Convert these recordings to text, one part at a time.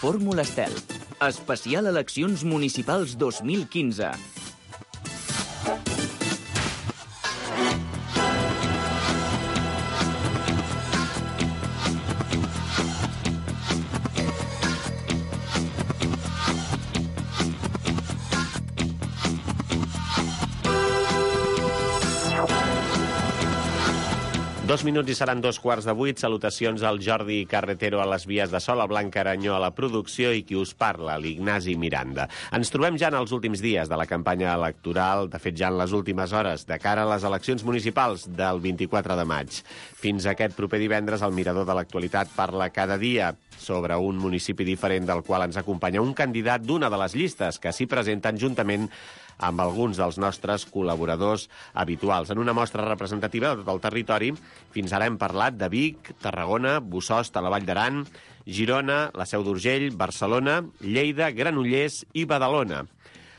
Fórmula Estel. Especial Eleccions Municipals 2015. Dos minuts i seran 7:15. Salutacions al Jordi Carretero a les vies de so, al Blanc Aranyó a la producció i qui us parla, l'Ignasi Miranda. Ens trobem ja en els últims dies de la campanya electoral, de fet ja en les últimes hores, de cara a les eleccions municipals del 24 de maig. Fins aquest proper divendres, el Mirador de l'Actualitat parla cada dia sobre un municipi diferent del qual ens acompanya un candidat d'una de les llistes que s'hi presenten juntament amb alguns dels nostres col·laboradors habituals. En una mostra representativa de tot el territori, fins ara hem parlat de Vic, Tarragona, Bossòst, a la Vall d'Aran, Girona, la Seu d'Urgell, Barcelona, Lleida, Granollers i Badalona.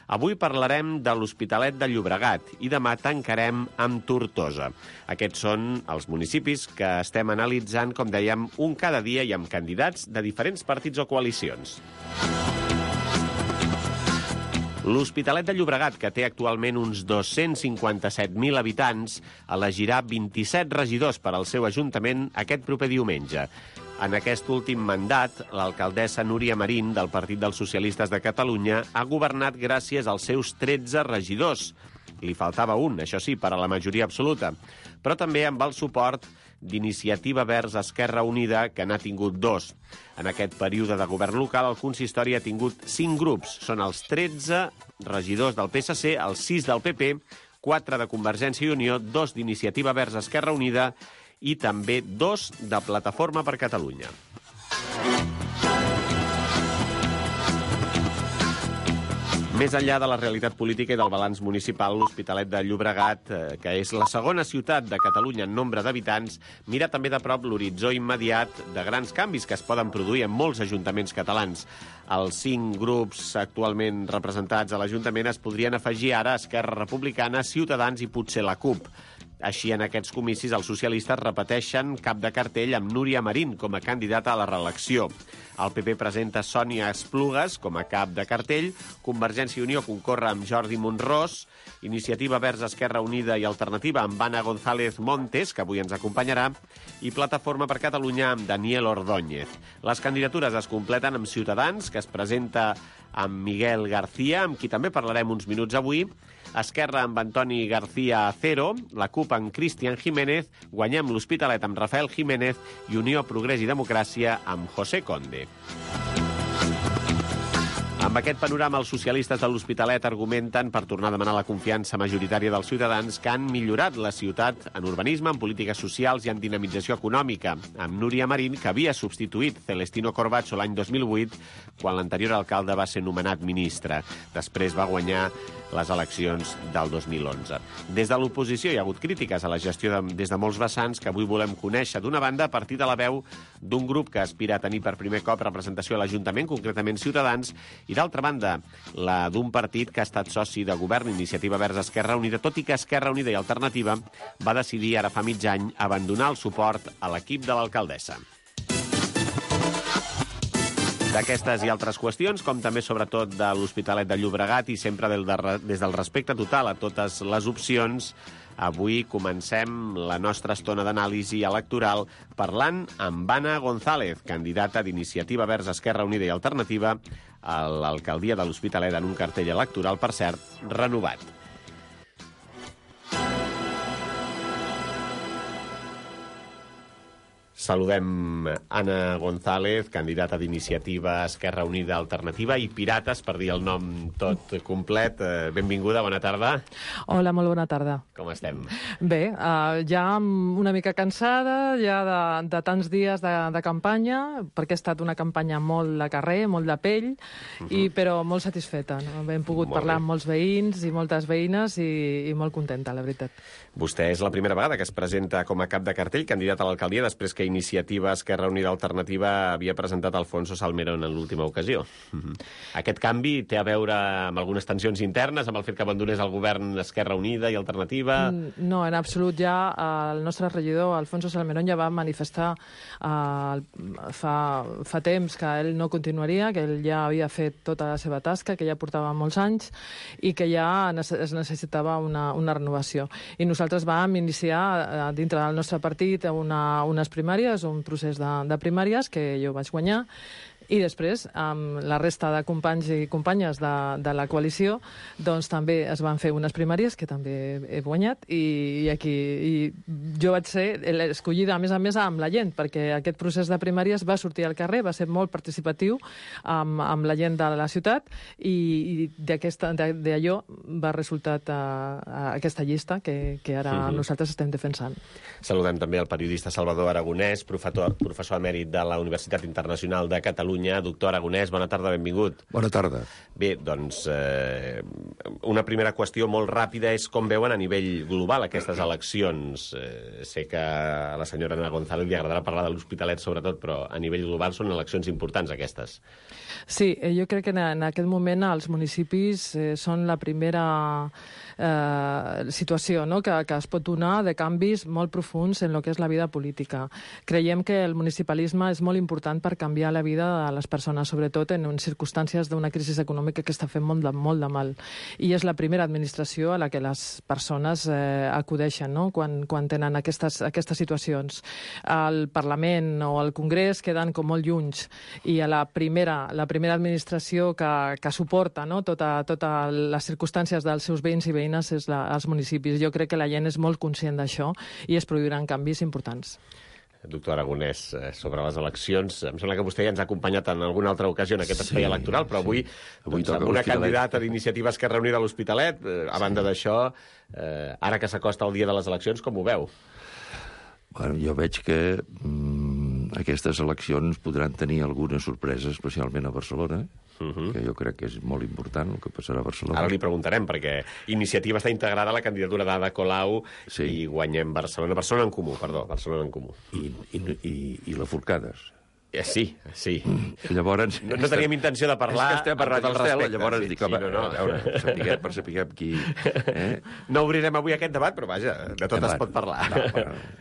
Avui parlarem de l'Hospitalet de Llobregat i demà tancarem amb Tortosa. Aquests són els municipis que estem analitzant, com dèiem, un cada dia i amb candidats de diferents partits o coalicions. L'Hospitalet de Llobregat, que té actualment uns 257.000 habitants, elegirà 27 regidors per al seu ajuntament aquest proper diumenge. En aquest últim mandat, l'alcaldessa Núria Marín, del Partit dels Socialistes de Catalunya, ha governat gràcies als seus 13 regidors. Li faltava un, això sí, per a la majoria absoluta, però també amb el suport d'Iniciativa Verds Esquerra Unida, que n'ha tingut 2. En aquest període de govern local, el consistori ha tingut 5 grups. Són els 13 regidors del PSC, els 6 del PP, 4 de Convergència i Unió, 2 d'Iniciativa Verds Esquerra Unida i també 2 de Plataforma per Catalunya. Més enllà de la realitat política i del balanç municipal, l'Hospitalet de Llobregat, que és la segona ciutat de Catalunya en nombre d'habitants, mira també de prop l'horitzó immediat de grans canvis que es poden produir en molts ajuntaments catalans. Els 5 grups actualment representats a l'Ajuntament es podrien afegir ara a Esquerra Republicana, Ciutadans i potser la CUP. Així, en aquests comicis, els socialistes repeteixen cap de cartell amb Núria Marín com a candidata a la reelecció. El PP presenta Sònia Esplugues com a cap de cartell, Convergència i Unió concorre amb Jordi Monrós, Iniciativa Verds Esquerra Unida i Alternativa amb Anna González Montes, que avui ens acompanyarà, i Plataforma per Catalunya amb Daniel Ordóñez. Les candidatures es completen amb Ciutadans, que es presenta amb Miguel García, amb qui també parlarem uns minuts avui, Esquerra amb Antoni García Acero, la CUP amb Cristian Jiménez, Guanyem l'Hospitalet amb Rafael Jiménez i Unió Progrés i Democràcia amb José Conde. Amb aquest panorama, els socialistes de l'Hospitalet argumenten per tornar a demanar la confiança majoritària dels ciutadans que han millorat la ciutat en urbanisme, en polítiques socials i en dinamització econòmica, amb Núria Marín, que havia substituït Celestino Corbacho l'any 2008, quan l'anterior alcalde va ser nomenat ministre. Després va guanyar les eleccions del 2011. Des de l'oposició hi ha hagut crítiques a la gestió des de molts vessants que avui volem conèixer. D'una banda, a partir de la veu d'un grup que aspira a tenir per primer cop representació a l'Ajuntament, concretament Ciutadans, i d'altra banda, la d'un partit que ha estat soci de govern, Iniciativa Verds Esquerra Unida, tot i que Esquerra Unida i Alternativa va decidir ara fa mig any abandonar el suport a l'equip de l'alcaldessa. D'aquestes i altres qüestions, com també sobretot de l'Hospitalet de Llobregat i sempre des del respecte total a totes les opcions, avui comencem la nostra estona d'anàlisi electoral parlant amb Anna González, candidata d'Iniciativa Verds Esquerra Unida i Alternativa a l'alcaldia de l'Hospitalet en un cartell electoral, per cert, renovat. Saludem Anna González, candidata d'Iniciativa Esquerra Unida Alternativa i Pirates, per dir el nom tot complet. Benvinguda, bona tarda. Hola, molt bona tarda. Com estem? Bé, ja una mica cansada, ja de tants dies de campanya, perquè ha estat una campanya molt de carrer, molt de pell, però molt satisfeta. No? Hem pogut parlar amb molts veïns i moltes veïnes i molt contenta, la veritat. Vostè és la primera vegada que es presenta com a cap de cartell, candidat a l'alcaldia, després que que Iniciativa Esquerra Unida Alternativa havia presentat Alfonso Salmerón en l'última ocasió. Aquest canvi té a veure amb algunes tensions internes, amb el fet que abandonés el govern Esquerra Unida i Alternativa? No, en absolut. Ja el nostre regidor, Alfonso Salmerón, ja va manifestar fa temps que ell no continuaria, que ell ja havia fet tota la seva tasca, que ja portava molts anys i que ja es necessitava una renovació. I nosaltres vam iniciar dintre del nostre partit unes primàries, un procés de primàries que jo vaig guanyar, i després, amb la resta de companys i companyes de la coalició, doncs també es van fer unes primàries que també he guanyat, i jo vaig ser escollida, a més amb la gent, perquè aquest procés de primàries va sortir al carrer, va ser molt participatiu amb la gent de la ciutat, i d'allò va resultar aquesta llista que ara nosaltres estem defensant. Saludem també el periodista Salvador Aragonès, professor emèrit de la Universitat Internacional de Catalunya. Doctor Aragonès, bona tarda, benvingut. Bona tarda. Bé, doncs, una primera qüestió molt ràpida és com veuen a nivell global aquestes eleccions. Sé que a la senyora Ana González li agradarà parlar de l'Hospitalet, sobretot, però a nivell global són eleccions importants, aquestes. Sí, jo crec que en aquest moment els municipis són la primera situació, no?, que es pot donar de canvis molt profunds en el que és la vida política. Creiem que el municipalisme és molt important per canviar la vida de les persones, sobretot en circumstàncies d'una crisi econòmica que està fent molt de mal. I és la primera administració a la que les persones acudeixen, no?, quan tenen aquestes situacions. El Parlament o el Congrés queden com molt llunys, i a la primera administració que suporta, no?, totes les circumstàncies dels seus veïns i veïnes és els municipis. Jo crec que la gent és molt conscient d'això i es produiran canvis importants. Doctor Aragonès, sobre les eleccions, em sembla que vostè ja ens ha acompanyat en alguna altra ocasió en aquest espai electoral, però avui amb una candidata d'Iniciativa Esquerra Unida a l'Hospitalet, a banda d'això, ara que s'acosta el dia de les eleccions, com ho veu? Bueno, jo veig que aquestes eleccions podran tenir alguna sorpresa, especialment a Barcelona, que jo crec que és molt important el que passarà a Barcelona. Ara li preguntarem, perquè Iniciativa està integrada a la candidatura d'Ada Colau i guanyem Barcelona. Barcelona en Comú. I la Forcades. Sí. Llavors... No teníem intenció de parlar... És que estem a Ràdio Estel, llavors dic, home, a veure, sapiguem qui... No obrirem avui aquest debat, però vaja, de tot es pot parlar.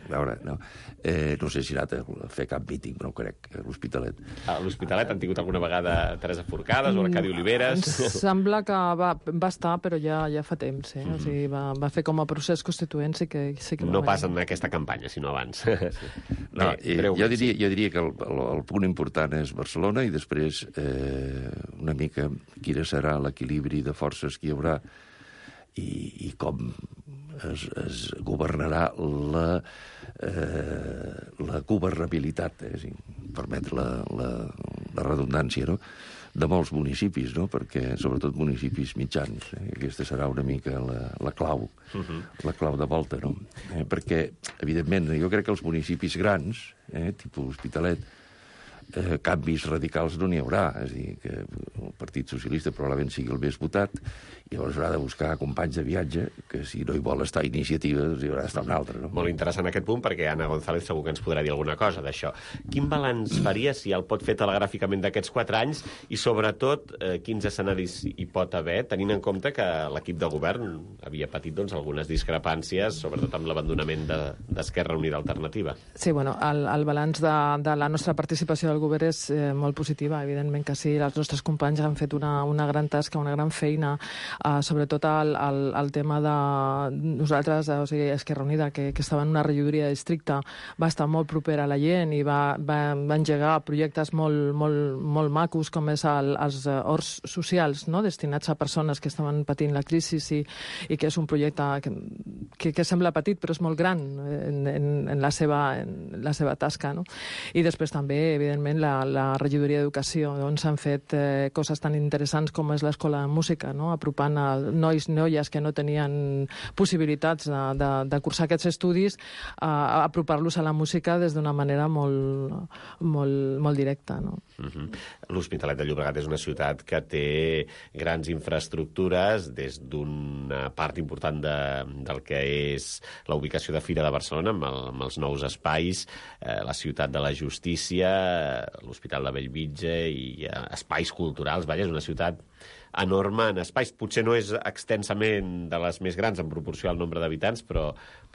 No sé si ha anat a fer cap míting, no ho crec, a l'Hospitalet. A l'Hospitalet han tingut alguna vegada Teresa Forcades o l'Arcadi Oliveres? Em sembla que va estar, però ja fa temps. O sigui, va fer com a procés constituent, sí que no pas en aquesta campanya, sinó abans. Jo diria que el punt important és Barcelona, i després una mica quina serà l'equilibri de forces que hi haurà i com es governarà la governabilitat, permet la redundància, no?, de molts municipis, no?, perquè sobretot municipis mitjans. Aquesta serà una mica la clau de volta, no? Perquè, evidentment, jo crec que els municipis grans, tipus Hospitalet, canvis radicals no n'hi haurà. És a dir, que el Partit Socialista probablement sigui el més votat, i llavors haurà de buscar companys de viatge, que si no hi vol estar Iniciativa, doncs hi haurà d'estar un altre. No? Molt interessant aquest punt, perquè Ana González segur que ens podrà dir alguna cosa d'això. Quin balanç faria, si el pot fer telegràficament, d'aquests 4 anys, i sobretot quins escenaris hi pot haver, tenint en compte que l'equip de govern havia patit algunes discrepàncies, sobretot amb l'abandonament d'Esquerra Unida Alternativa? Sí, bueno, el balanç de la nostra participació del govern és molt positiva, evidentment que sí. Els nostres companys han fet una gran tasca, una gran feina, sobretot el tema de nosaltres, o sigui, Esquerra Unida, que estava en una regidoria de districte, va estar molt propera a la gent i va engegar projectes molt macos, com és els horts socials, no?, destinats a persones que estaven patint la crisi, i que és un projecte que sembla petit, però és molt gran en la seva tasca, no? I després també, evidentment, precisament la regidoria d'Educació, on s'han fet coses tan interessants com és l'escola de música, no? Apropant a nois i noies que no tenien possibilitats de cursar aquests estudis, a apropar-los a la música des d'una manera molt directa, no? L'Hospitalet de Llobregat és una ciutat que té grans infraestructures, des d'una part important del que és la ubicació de Fira de Barcelona, amb els nous espais, la ciutat de la justícia, l'Hospital de Bellvitge i espais culturals. Vaja, és una ciutat enorme en espais. Potser no és extensament de les més grans en proporció al nombre d'habitants, però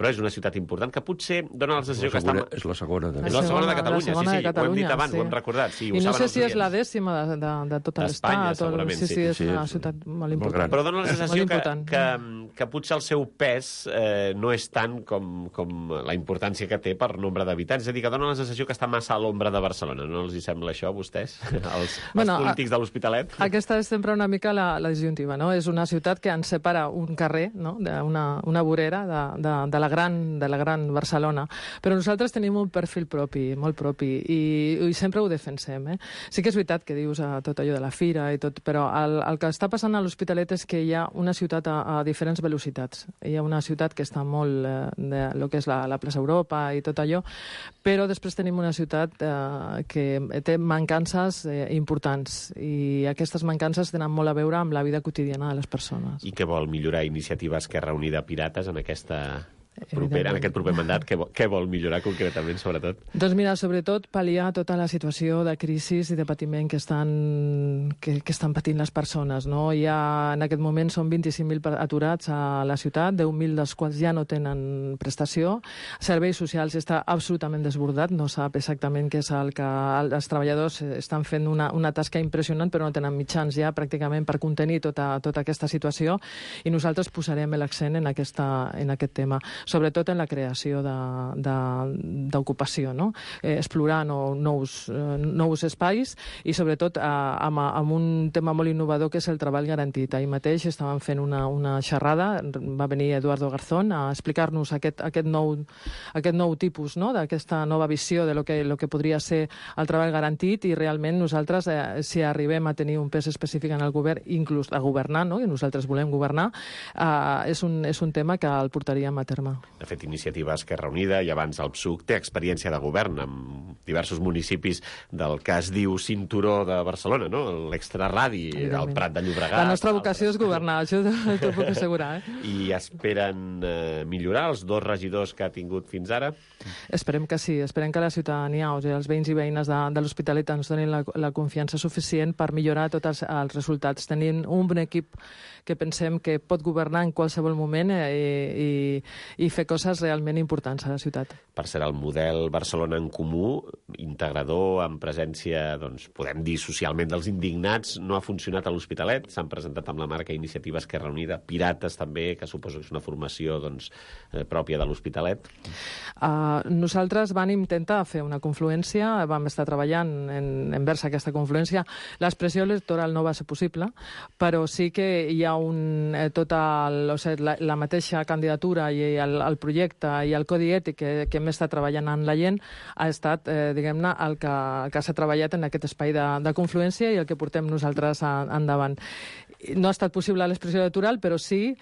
és una ciutat important que potser dona la sensació que està... És la segona de És la segona de Catalunya, sí, ho hem dit abans, ho hem recordat. I no sé si és la 10ª de tot l'estat. Segurament, sí. És una ciutat molt important. Però dona la sensació que potser el seu pes no és tant com la importància que té per nombre d'habitants. És a dir, que dona la sensació que està massa a l'ombra de Barcelona. No els hi sembla això, a vostès, els polítics de l'Hospitalet? Aquesta és sempre una mica la disjuntiva, no? És una ciutat que ens separa un carrer, no? Una vorera de la gran Barcelona. Però nosaltres tenim un perfil propi, molt propi, i sempre ho defensem, eh? Sí que és veritat que dius tot allò de la fira i tot, però el que està passant a l'Hospitalet és que hi ha una ciutat a diferents velocitats. Hi ha una ciutat que està molt de lo que és la plaça Europa i tot allò, però després tenim una ciutat que té mancances importants, i aquestes mancances tenen molt a veure amb la vida quotidiana de les persones. I què vol millorar Iniciativa Esquerra Unida Pirates en aquest proper mandat? Què vol millorar concretament, sobretot? Doncs mira, sobretot pal·liar tota la situació de crisi i de patiment que estan patint les persones, no? En aquest moment són 25.000 aturats a la ciutat, 10.000 dels quals ja no tenen prestació. Serveis socials està absolutament desbordat, no sap exactament què és el que... Els treballadors estan fent una tasca impressionant, però no tenen mitjans ja pràcticament per contenir tota aquesta situació, i nosaltres posarem l'accent en aquest tema, sobretot en la creació d'ocupació, no? Explorar nous espais, i sobretot amb un tema molt innovador que és el treball garantit. Ahir mateix estàvem fent una xerrada, va venir Eduardo Garzón a explicar-nos aquest nou tipus, no? D'aquesta nova visió de lo que podria ser el treball garantit, i realment nosaltres, si arribem a tenir un pes específic en el govern, inclús a governar, no? I nosaltres volem governar, és un tema que el portaríem a terme. De fet, Iniciativa Esquerra Unida, i abans el PSUC, té experiència de govern amb diversos municipis del que es diu cinturó de Barcelona, no? L'extraradi, el Prat de Llobregat... La nostra vocació és governar, això t'ho puc assegurar. I esperen millorar els 2 regidors que ha tingut fins ara? Esperem que sí, esperem que la ciutadania, o sigui, els veïns i veïnes de l'Hospitalet ens donin la confiança suficient per millorar tots els resultats. Tenim un bon equip que pensem que pot governar en qualsevol moment i fer coses realment importants a la ciutat. Per ser el model Barcelona en Comú, integrador, amb presència, doncs, podem dir, socialment dels indignats, no ha funcionat a l'Hospitalet. S'han presentat amb la marca Iniciativa Esquerra Unida, Pirates també, que suposo que és una formació pròpia de l'Hospitalet. Nosaltres vam intentar fer una confluència, vam estar treballant envers aquesta confluència. L'expressió electoral no va ser possible, però sí que hi ha la mateixa candidatura i el projecte i el codi ètic que hem estat treballant en la gent ha estat, diguem-ne, el que s'ha treballat en aquest espai de confluència i el que portem nosaltres endavant. No ha estat possible l'expressió electoral, però sí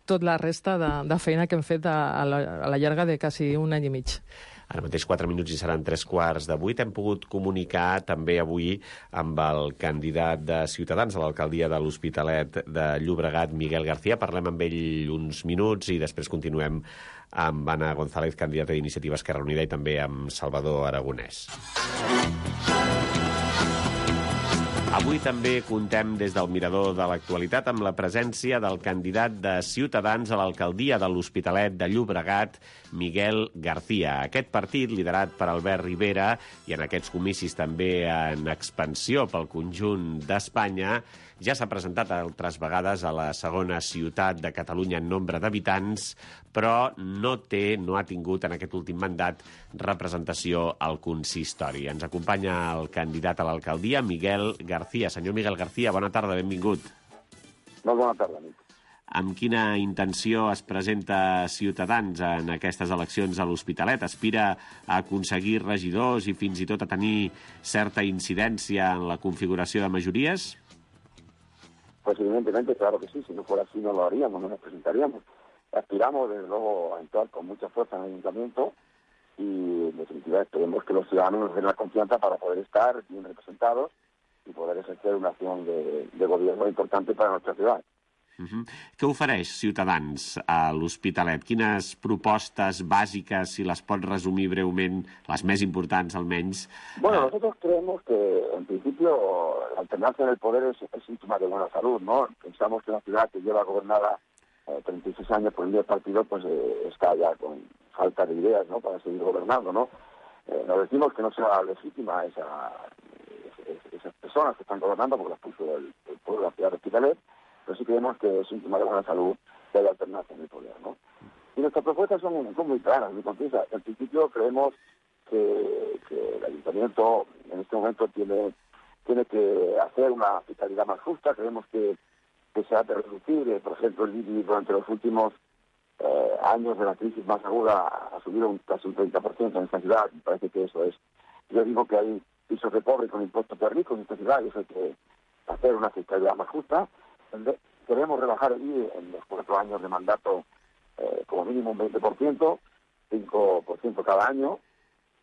tota la resta de feina que hem fet a la llarga de quasi un any i mig. Ara mateix 4 minuts i seran 7:45. Hem pogut comunicar també avui amb el candidat de Ciutadans a l'alcaldia de l'Hospitalet de Llobregat, Miguel García. Parlem amb ell uns minuts i després continuem amb Anna González, candidata d'Iniciativa Esquerra Unida, i també amb Salvador Aragonès. Avui també contem des del Mirador de l'Actualitat amb la presència del candidat de Ciutadans a l'alcaldia de l'Hospitalet de Llobregat, Miguel García. Aquest partit, liderat per Albert Rivera, i en aquests comicis també en expansió pel conjunt d'Espanya, ja s'ha presentat altres vegades a la segona ciutat de Catalunya en nombre d'habitants, però no ha tingut en aquest últim mandat representació al consistori. Ens acompanya el candidat a l'alcaldia, Miguel García. Senyor Miguel García, bona tarda, benvingut. Molt bona tarda, nit. amb quina intenció es presenta Ciutadans en aquestes eleccions a l'Hospitalet? Aspira a aconseguir regidors i fins i tot a tenir certa incidència en la configuració de majories? Pues evidentemente, claro que sí, si no fuera así no lo haríamos, no nos presentaríamos. Aspiramos, desde luego, a entrar con mucha fuerza en el ayuntamiento y, en definitiva, esperemos que los ciudadanos nos den la confianza para poder estar bien representados y poder ejercer una acción de gobierno importante para nuestra ciudad. Què ofereix Ciutadans a l'Hospitalet? Quines propostes bàsiques, si les pot resumir breument, les més importants almenys? Bueno, nosotros creemos que, en principio, la alternancia en el poder es síntoma de buena salud, ¿no? Pensamos que una ciudad que lleva gobernada 36 años por el mismo partido, pues está ya con falta de ideas, ¿no?, para seguir gobernando, ¿no? Nos decimos que no sea legítima esas personas que están gobernando, porque las puso el pueblo de la ciudad de Hospitalet, pero sí creemos que es síntoma de buena salud que haya alternancia en el poder, ¿no? Y nuestras propuestas son muy claras, muy concisas. En principio creemos que el ayuntamiento en este momento tiene que hacer una fiscalidad más justa. Creemos que se ha de reducir, por ejemplo, el IBI durante los últimos años de la crisis más aguda ha subido casi un 30% en esta ciudad. Me parece que eso es. Yo digo que hay pisos de pobres con impuestos de ricos en esta ciudad y eso hay que hacer una fiscalidad más justa. Queremos rebajar el IBI en los 4 años de mandato como mínimo un 20%, 5% cada año.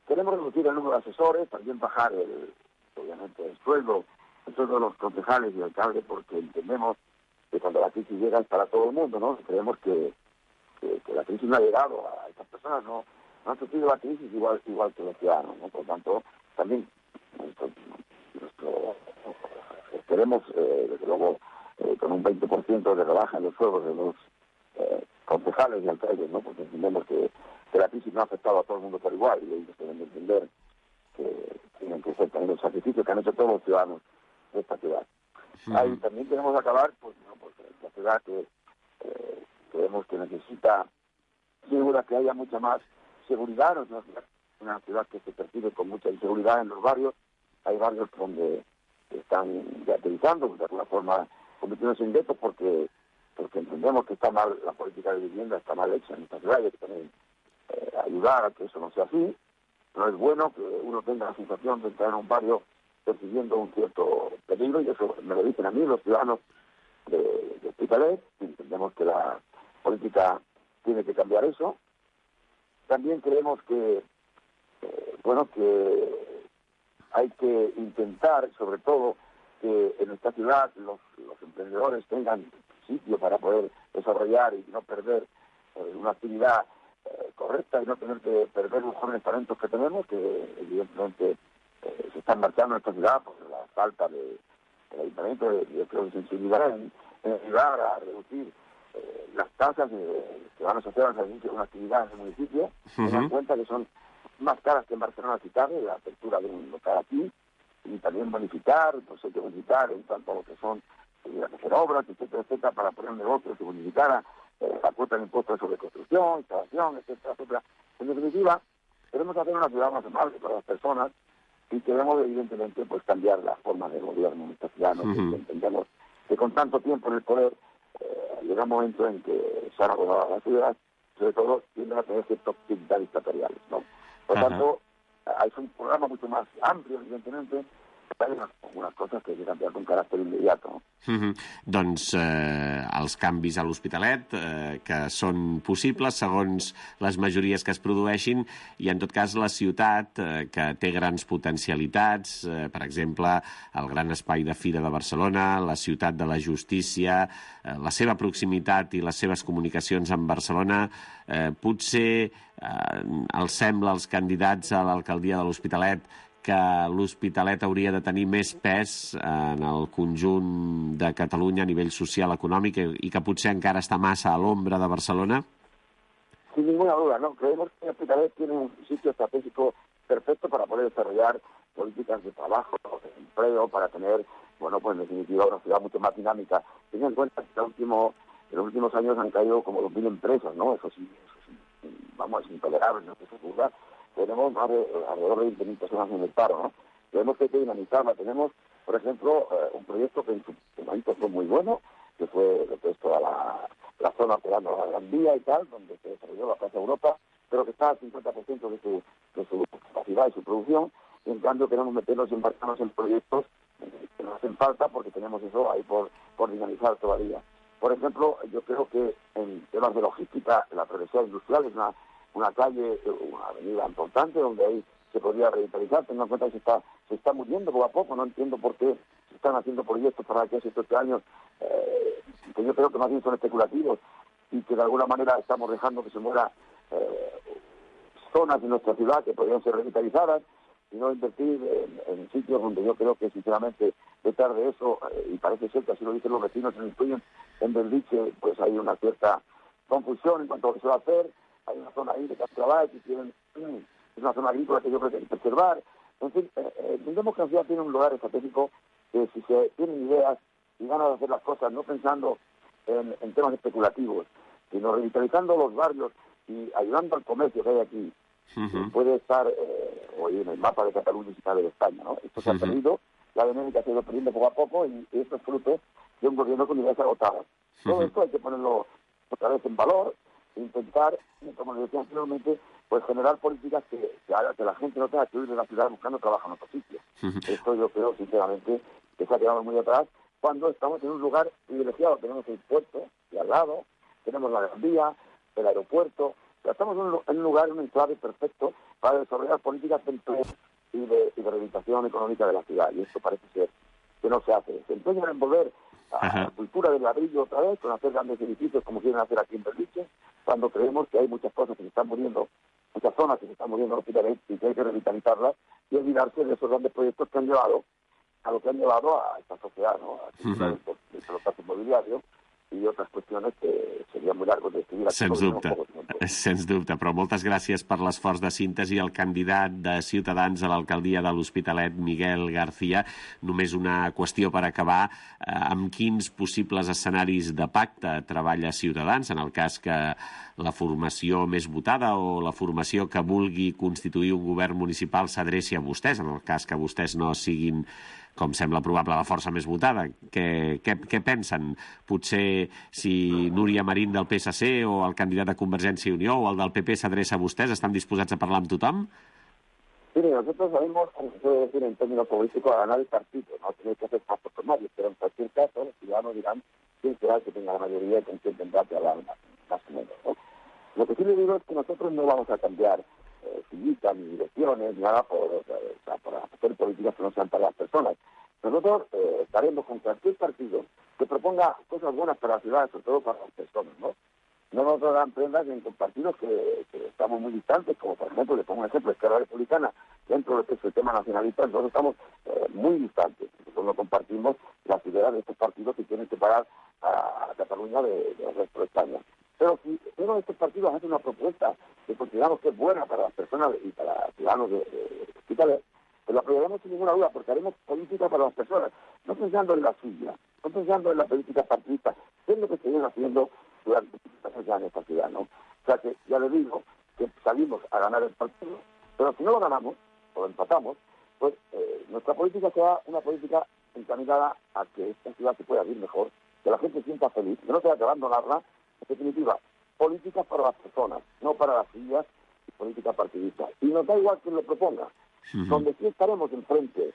Queremos reducir el número de asesores, también bajar obviamente el sueldo de los concejales y alcaldes, porque entendemos que cuando la crisis llega es para todo el mundo, ¿no? Creemos que la crisis no ha llegado a estas personas, no han sufrido la crisis igual que los ciudadanos, ¿no? Por tanto, también queremos, desde luego, con un 20% de rebaja en los sueldos de los concejales y alcaldes, ¿no? Porque entendemos que la crisis no ha afectado a todo el mundo por igual y ellos deben entender que tienen que ser también el sacrificio que han hecho todos los ciudadanos de esta ciudad. Ahí también queremos acabar, pues la ciudad que creemos que necesita, segura que haya mucha más seguridad, no es una ciudad que se percibe con mucha inseguridad en los barrios. Hay barrios donde están aterrizando, de alguna forma convirtiéndose en guetos porque entendemos que está mal la política de vivienda, está mal hecha en esta ciudad y hay que también ayudar a que eso no sea así. No es bueno que uno tenga la sensación de entrar en un barrio percibiendo un cierto peligro, y eso me lo dicen a mí los ciudadanos de Hospitalet, y entendemos que la política tiene que cambiar eso. También creemos que hay que intentar, sobre todo, que en esta ciudad los emprendedores tengan sitio para poder desarrollar y no perder una actividad correcta y no tener que perder los jóvenes talentos que tenemos, que evidentemente se están marchando en esta ciudad por la falta del ayuntamiento de sensibilidad en ayudar a reducir las tasas que van a asociar al servicio de una actividad en el municipio. Tengan en cuenta que son más caras que en Barcelona Ciudad, la apertura de un local aquí, y también bonificar, pues hay que bonificar en cuanto a lo que son hacer obras, etcétera, para poner negocios y bonificar la cuota de impuestos sobre construcción, instalación, etcétera. En definitiva, queremos hacer una ciudad más amable para las personas y queremos, evidentemente, pues cambiar la forma de gobierno en esta ciudad. Entendemos que con tanto tiempo en el poder llega un momento en que se han agotado las ciudades, sobre todo tienden a tener ciertas actividades dictatoriales, ¿no? Por tanto, es un programa mucho más amplio, evidentemente, però hi ha algunes coses que han canviat con caràcter immediato. Doncs els canvis a l'Hospitalet, que són possibles segons les majories que es produeixin, i en tot cas la ciutat, que té grans potencialitats, per exemple, el gran espai de Fira de Barcelona, la ciutat de la justícia, la seva proximitat i les seves comunicacions amb Barcelona, potser els sembla als candidats a l'alcaldia de l'Hospitalet que l'Hospitalet hauria de tenir més pes en el conjunt de Catalunya a nivell social, econòmic, i que potser encara està massa a l'ombra de Barcelona? Sin ninguna duda, ¿no? Creemos que Hospitalet tiene un sitio estratégico perfecto para poder desarrollar políticas de trabajo, de empleo, para tener, bueno, pues en definitiva una ciudad mucho más dinámica. Ten en cuenta que en los últimos años han caído como 2.000 empresas, ¿no? Eso sí, vamos, es intolerable, ¿no? Eso es verdad. Tenemos alrededor de 20.000 personas en el paro, ¿no? Tenemos que dinamizarla. Tenemos, por ejemplo, un proyecto que en su momento fue muy bueno, que fue lo que es toda la zona pegando a la Gran Vía y tal, donde se desarrolló la Plaza Europa, pero que está al 50% de su capacidad y su producción, y en cambio queremos meternos y embarcarnos en proyectos que nos hacen falta porque tenemos eso ahí por dinamizar todavía. Por ejemplo, yo creo que en temas de logística, la progresión industrial es una calle, una avenida importante donde ahí se podría revitalizar, teniendo en cuenta que se está muriendo poco a poco. No entiendo por qué se están haciendo proyectos para que hace 7 años, que yo creo que más bien son especulativos y que de alguna manera estamos dejando que se mueran zonas de nuestra ciudad que podrían ser revitalizadas, y no invertir en sitios donde yo creo que sinceramente detrás de eso, y parece ser que así lo dicen los vecinos, se incluyen en Belviche, pues hay una cierta confusión en cuanto a lo que se va a hacer. Hay una zona ahí de Castrabal que tienen, es una zona agrícola que yo creo que hay que preservar. En fin, entendemos que la ciudad tiene un lugar estratégico que si se tienen ideas y ganas de hacer las cosas, no pensando en temas especulativos, sino revitalizando los barrios y ayudando al comercio que hay aquí, puede estar hoy en el mapa de Cataluña y de España, ¿no? Esto se ha perdido, la dinámica se ha ido perdiendo poco a poco y esto es fruto de un gobierno con ideas agotadas. Todo esto hay que ponerlo otra vez en valor e intentar, como les decía anteriormente, pues generar políticas que hagan que la gente no tenga que huir de la ciudad buscando trabajo en otro sitio. Esto yo creo, sinceramente, que se ha quedado muy atrás cuando estamos en un lugar privilegiado. Tenemos el puerto y al lado, tenemos la Gran Vía, el aeropuerto. O sea, estamos en un lugar, un enclave perfecto para desarrollar políticas de empleo y de rehabilitación económica de la ciudad. Y esto parece ser que no se hace. Se empeñan en volver a la cultura del ladrillo otra vez, con hacer grandes edificios como quieren hacer aquí en Belviche, cuando creemos que hay muchas cosas que se están muriendo, muchas zonas que se están muriendo rápidamente y que hay que revitalizarlas y olvidarse de esos grandes proyectos que han llevado a lo que han llevado a esta sociedad, ¿no? A el pelotazo inmobiliario i altres qüestions que seria molt llarg d'escriure. Sens dubte, però moltes gràcies per l'esforç de síntesi al candidat de Ciutadans a l'alcaldia de l'Hospitalet, Miguel García. Només una qüestió per acabar. Amb quins possibles escenaris de pacte treballa Ciutadans, en el cas que la formació més votada o la formació que vulgui constituir un govern municipal s'adreci a vostès, en el cas que vostès no siguin, com sembla probable, la força més votada? Què pensen? Potser si Núria Marín del PSC o el candidat de Convergència i Unió o el del PP s'adreça a vostès, estan disposats a parlar amb tothom? Mire, nosotros sabemos, como se puede decir en términos políticos, a ganar el partido. No tiene que hacer pactos primarios, pero en cualquier caso los ciudadanos dirán quién será el que tenga la mayoría y con quién tendrá que hablar más o menos, ¿no? Lo que sí le digo es que nosotros no vamos a cambiar sillitas, ni direcciones, ni nada para hacer políticas que no sean para las personas. Nosotros estaremos con cualquier partido que proponga cosas buenas para la ciudad, sobre todo para las personas, ¿no? No nos dan prendas en partidos que estamos muy distantes, como por ejemplo, le pongo un ejemplo, Esquerra Republicana, dentro de lo que es el tema nacionalista, nosotros estamos muy distantes. Nosotros no compartimos las ideas de estos partidos que quieren separar a Cataluña del resto de España. Pero si uno de estos partidos hace una propuesta que consideramos que es buena para las personas y para los ciudadanos de Hospitalet, pues la apoyaremos sin ninguna duda, porque haremos política para las personas, no pensando en la suya, no pensando en la política partidista, que es lo que se viene haciendo durante muchos años esta ciudad, ¿no? O sea que ya le digo que salimos a ganar el partido, pero si no lo ganamos o lo empatamos, pues nuestra política será una política encaminada a que esta ciudad se pueda vivir mejor, que la gente se sienta feliz, que no tenga que abandonarla. En definitiva, políticas para las personas, no para las sillas y política partidista. Y nos da igual quien lo proponga. Donde sí estaremos enfrente,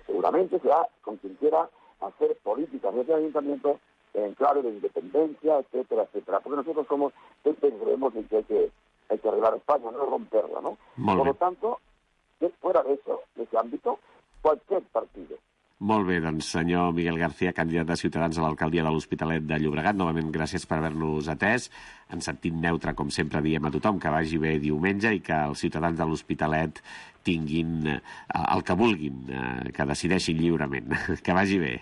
seguramente será con quien quiera hacer políticas de ayuntamiento en clave de independencia, etcétera, etcétera. Porque nosotros somos el que creemos en que hay que arreglar España, no romperla, ¿no? Por lo tanto, fuera de eso, de ese ámbito, cualquier partido. Molt bé, doncs senyor Miguel García, candidat de Ciutadans a l'alcaldia de l'Hospitalet de Llobregat, novament gràcies per haver-nos atès. En sentit neutre, com sempre diem a tothom, que vagi bé diumenge i que els ciutadans de l'Hospitalet tinguin el que vulguin, que decideixin lliurement. Que vagi bé.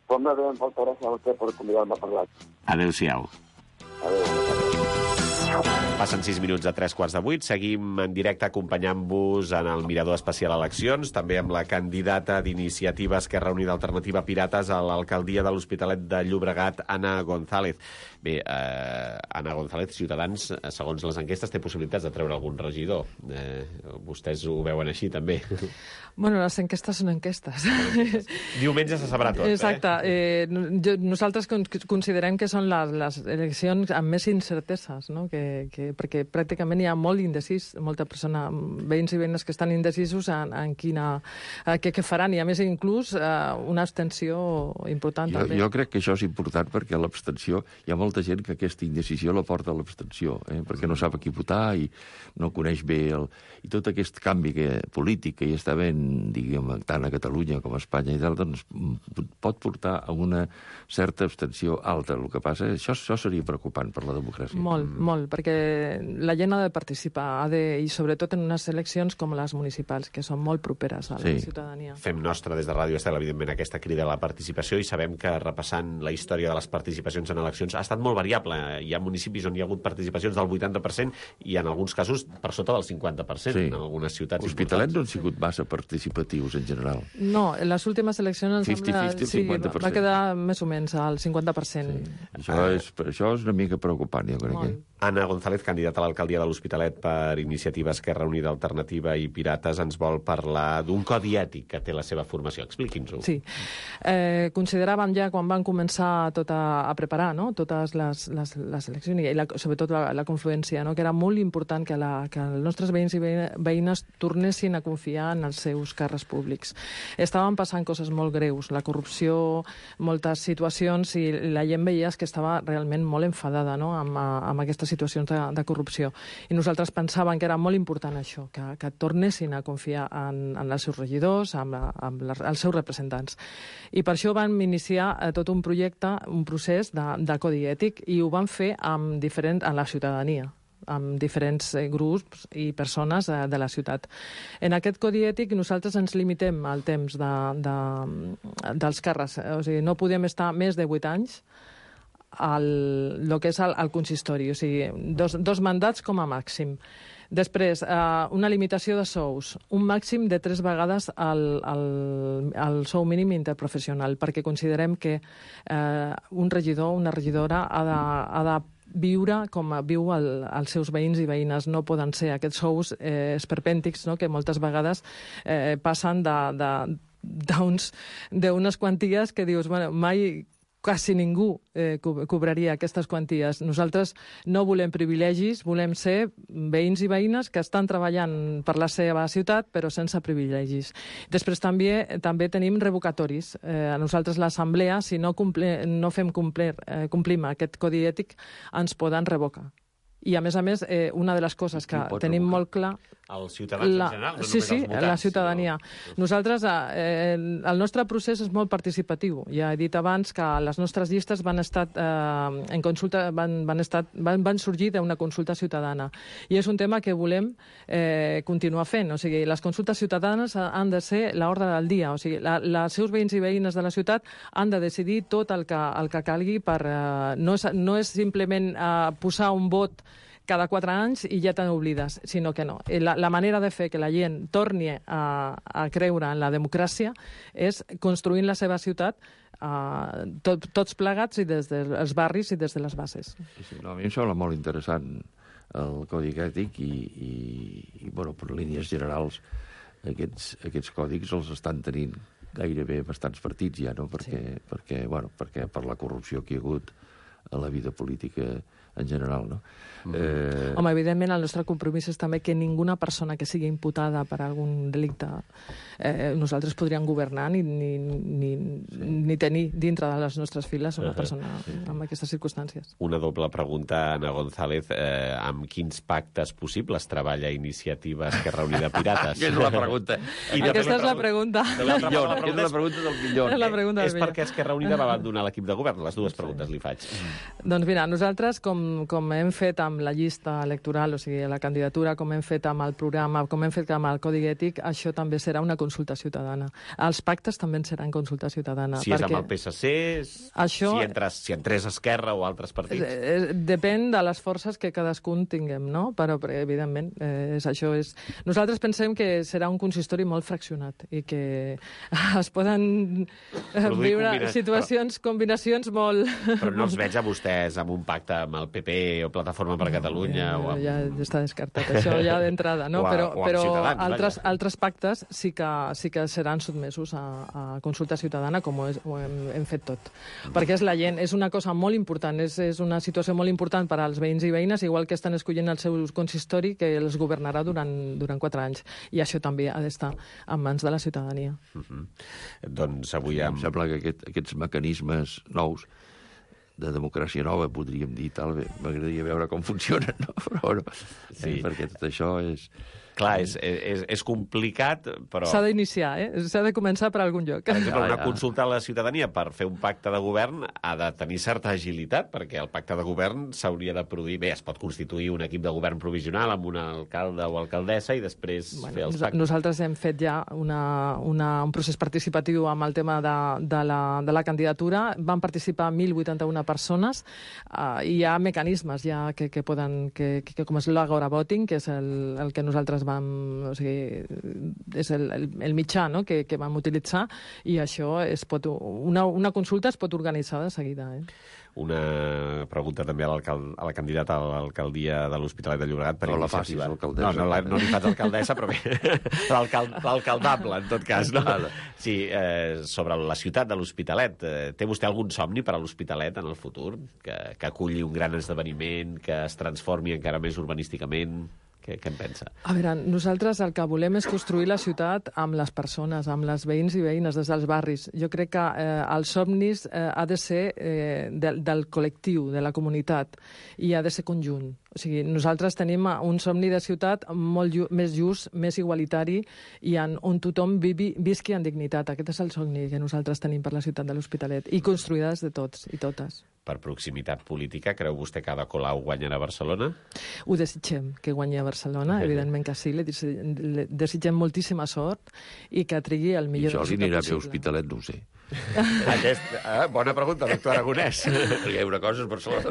Pues molt bé, moltes gràcies a vostè per convidar-me a parlar. Adéu-siau. Adéu. Passen 6 minuts a 3:15. Seguim en directe acompanyant-vos en el Mirador Especial Eleccions, també amb la candidata d'Iniciativa Esquerra Unida Alternativa Pirates a l'alcaldia de l'Hospitalet de Llobregat, Anna González. Bé, Anna González, Ciutadans, segons les enquestes, té possibilitats de treure algun regidor. Vostès ho veuen així, també. Bueno, les enquestes són enquestes. Diumenge se sabrà tot, Exacte. Nosaltres considerem que són les eleccions amb més incerteses, no? Perquè pràcticament hi ha molt indecís, molta persona, veïns i veïnes que estan indecisos en què faran, i a més inclús una abstenció important. Jo crec que això és important perquè l'abstenció, hi ha molta gent que aquesta indecisió la porta a l'abstenció, perquè no sap a qui votar i no coneix bé i tot aquest canvi polític que hi està havent, diguem, tant a Catalunya com a Espanya i tal, doncs pot portar a una certa abstenció alta. El que passa és que això seria preocupant per la democràcia. Molt, perquè la gent ha de participar, i sobretot en unes eleccions com les municipals, que són molt properes a la ciutadania. Fem nostra des de Ràdio Estel, evidentment, aquesta crida a la participació, i sabem que, repassant la història de les participacions en eleccions, ha estat molt variable. Hi ha municipis on hi ha hagut participacions del 80% i en alguns casos per sota del 50%, en algunes ciutats importants. L'Hospitalet no han sigut massa participatius, en general. No, en les últimes eleccions 50-50, va quedar més o menys al 50%. Això és una mica preocupant, jo crec. Anna González, candidata a l'alcaldia de l'Hospitalet per Iniciativa Esquerra Unida Alternativa i Pirates, ens vol parlar d'un codi ètic que té la seva formació. Expliqui'ns-ho. Sí. Consideràvem ja, quan van començar a preparar totes les eleccions, i sobretot la confluència, que era molt important que els nostres veïns i veïnes tornessin a confiar en els seus càrrecs públics. Estaven passant coses molt greus, la corrupció, moltes situacions, i la gent veia que estava realment molt enfadada amb aquestes situacions de corrupció. I nosaltres pensàvem que era molt important això, que tornessin a confiar en els seus regidors, en els seus representants. I per això vam iniciar tot un projecte, un procés de codi ètic, i ho vam fer a la ciutadania, amb diferents grups i persones de la ciutat. En aquest codi ètic nosaltres ens limitem al temps dels càrrecs, o sigui, no podem estar més de 8 anys el que és el consistori, o sigui, dos mandats com a màxim. Després, una limitació de sous, un màxim de 3 vegades el sou mínim interprofessional, perquè considerem que un regidor, una regidora ha de viure com viu els seus veïns i veïnes. No poden ser aquests sous esperpèntics, que moltes vegades passen d'unes quanties que dius, mai quasi ningú cobraria aquestes quanties. Nosaltres no volem privilegis, volem ser veïns i veïnes que estan treballant per la seva ciutat, però sense privilegis. Després també tenim revocatoris. A nosaltres l'assemblea, si no complim aquest codi ètic, ens poden revocar. I, a més, una de les coses que tenim molt clar... Els ciutadans en general, no només els votants. La ciutadania. Nosaltres, el nostre procés és molt participatiu. Ja he dit abans que les nostres llistes van sorgir d'una consulta ciutadana. I és un tema que volem continuar fent. O sigui, les consultes ciutadanes han de ser l'ordre del dia. O sigui, els seus veïns i veïnes de la ciutat han de decidir tot el que calgui per... No és simplement posar un vot cada 4 anys i ja te n'oblides, sinó que no. La manera de fer que la gent torni a creure en la democràcia és construint la seva ciutat tots plegats, i des dels barris i des de les bases. A mi em sembla molt interessant el codi ètic i per línies generals, aquests còdics els estan tenint gairebé bastants partits ja, no? Perquè per la corrupció que hi ha hagut a la vida política en general, no? Home, evidentment, el nostre compromís és també que ninguna persona que sigui imputada per algun delicte nosaltres podríem governar ni tenir dintre de les nostres files una persona amb aquestes circumstàncies. Una doble pregunta, Anna González. Amb quins pactes possibles treballa Iniciativa Esquerra Unida Pirates? És la pregunta. Aquesta és la pregunta. És la pregunta del millor. És perquè Esquerra Unida va abandonar l'equip de govern? Les dues preguntes li faig. Doncs mira, nosaltres, com com hem fet amb la llista electoral, o sigui, la candidatura, com hem fet amb el programa, com hem fet amb el Codi Ètic, això també serà una consulta ciutadana. Els pactes també seran consulta ciutadana. Si és amb el PSC, si entrés Esquerra o altres partits? Depèn de les forces que cadascun tinguem, no? Però evidentment, nosaltres pensem que serà un consistori molt fraccionat i que es poden viure combinacions molt... Però no els veig a vostès amb un pacte amb el PP o Plataforma per Catalunya o amb... Ja està descartat, això ja d'entrada, no? Però altres pactes sí que seran sotmesos a consulta ciutadana, com ho hem fet tot. Perquè és la gent, és una cosa molt important, és una situació molt important per als veïns i veïnes, igual que estan escollint el seu consistori, que els governarà durant 4 anys. I això també ha d'estar en mans de la ciutadania. Doncs avui em sembla que aquests mecanismes nous de democràcia nova, podríem dir, m'agradaria veure com funcionen, no? Però bueno, perquè tot això és... Clar, és complicat, però... S'ha d'iniciar, s'ha de començar per algun lloc. Per exemple, una consulta a la ciutadania per fer un pacte de govern ha de tenir certa agilitat, perquè el pacte de govern s'hauria de produir... Bé, es pot constituir un equip de govern provisional amb un alcalde o alcaldessa i després fer els pactes. Nosaltres hem fet ja un procés participatiu amb el tema de la candidatura. Van participar 1.081 persones i hi ha mecanismes ja que com és l'Agora Voting, que és el que nosaltres és el mitjà, no?, que vam utilitzar, i això una consulta es pot organitzar de seguida. Una pregunta també a la candidata a l'alcaldia de l'Hospitalet de Llobregat per iniciativa. No li faig alcaldessa, però bé, l'alcaldable, en tot cas. No? Sí, sobre la ciutat de l'Hospitalet. Té vostè algun somni per a l'Hospitalet en el futur? Que aculli un gran esdeveniment, que es transformi encara més urbanísticament? Què en pensa? A veure, nosaltres el que volem és construir la ciutat amb les persones, amb les veïns i veïnes des dels barris. Jo crec que els somnis ha de ser del col·lectiu, de la comunitat, i ha de ser conjunt. O sigui, nosaltres tenim un somni de ciutat molt més just, més igualitari, i on tothom visqui en dignitat. Aquest és el somni que nosaltres tenim per la ciutat de l'Hospitalet, i construïda des de tots i totes. Per proximitat política, creu vostè que Ada Colau guanyarà a Barcelona? Ho desitgem, que guanyi a Barcelona, evidentment que sí, li desitgem moltíssima sort i que trigui el millor resultat possible. I això li anirà bé a Hospitalet, no ho sé. Bona pregunta, doctor Aragonès. Hi ha una cosa, és Barcelona.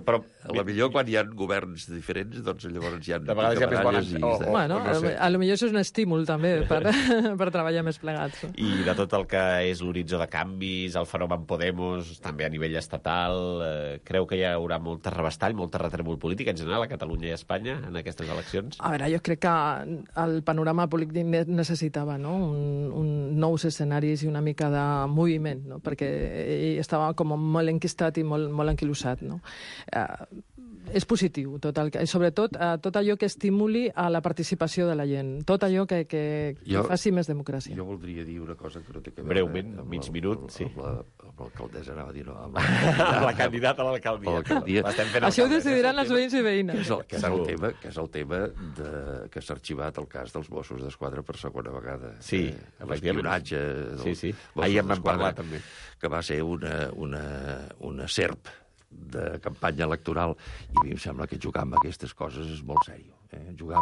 Però potser quan hi ha governs diferents, doncs llavors hi ha... De vegades hi ha més bones... Bueno, potser és un estímul, també, per treballar més plegats. I de tot el que és l'horitzó de canvis, el fenomen Podemos, també a nivell estatal, creu que hi haurà molt revestall, molt retrèmol polític en general a Catalunya i a Espanya en aquestes eleccions? A veure, jo crec que el panorama polític necessitava, no?, un nous escenaris i una mica de moviment, no?, perquè ell estava com molt enquistat i molt enquilossat, no? És positiu, sobretot tot allò que estimuli a la participació de la gent, tot allò que faci més democràcia. Jo voldria dir una cosa que no té que veure... Breument, mig minut, sí. Amb l'alcaldessa, anava a dir, no. Amb la candidata a l'alcaldia. Això ho decidiran els veïns i veïnes. Que és el tema que s'ha arxivat el cas dels Mossos d'Esquadra per segona vegada. Sí, l'espionatge. Sí. Ahir en vam parlar, també. Que va ser una serp de campanya electoral, i a mi em sembla que jugar amb aquestes coses és molt seriós. Jugar